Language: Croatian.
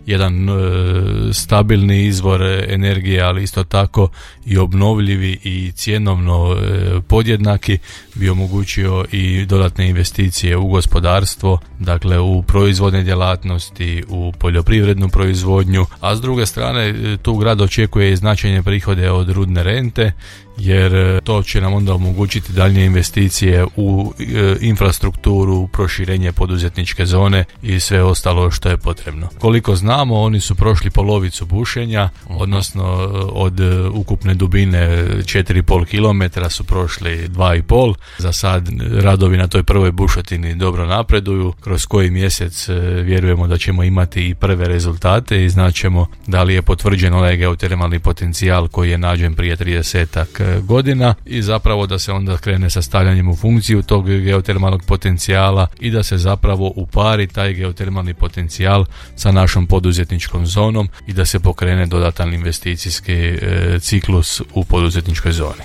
jedan stabilni izvor energije, ali isto tako i obnovljivi i cjenovno podjednaki, bi omogućio i dodatne investicije u gospodarstvo, dakle u proizvodne djelatnosti, u poljoprivrednu proizvodnju, a s druge strane tu grad očekuje i značajne prihode od rudne rente, jer to će nam onda omogućiti daljnje investicije u infrastrukturu, u proširenje poduzetničke zone i sve ostalo što je potrebno. Koliko znamo, oni su prošli polovicu bušenja, odnosno od ukupne dubine 4,5 km su prošli 2,5. Za sad radovi na toj prvoj bušotini dobro napreduju, kroz koji mjesec vjerujemo da ćemo imati i prve rezultate i znaćemo da li je potvrđen onaj geotermalni potencijal koji je nađen prije 30 godina i zapravo da se onda krene sa stavljanjem u funkciju tog geotermalnog potencijala i da se zapravo upari taj geotermalni potencijal sa našom poduzetničkom zonom i da se pokrene dodatan investicijski ciklus u poduzetničkoj zoni.